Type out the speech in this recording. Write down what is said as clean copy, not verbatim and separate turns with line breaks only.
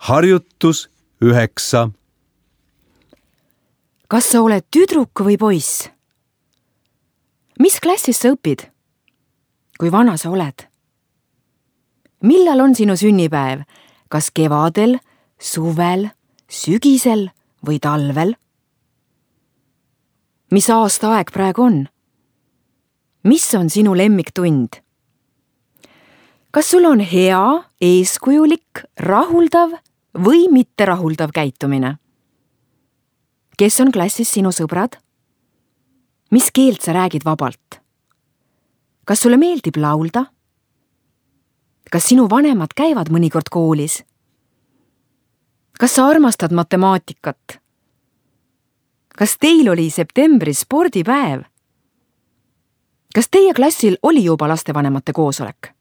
Harjutus 9.
Kas sa oled tüdruk või poiss? Mis klassis sa õpid? Kui vana sa oled? Millal on sinu sünnipäev? Kas kevadel, suvel, sügisel või talvel? Mis aastaaeg praegu on? Mis on sinu lemmiktund? Kas sul on hea, eeskujulik, rahuldav või mitterahuldav käitumine? Kes on klassis sinu sõbrad? Mis keelt sa räägid vabalt? Kas sulle meeldib laulda? Kas sinu vanemad käivad mõnikord koolis? Kas sa armastad matemaatikat? Kas teil oli septembris spordipäev? Kas teie klassil oli juba lastevanemate koosolek?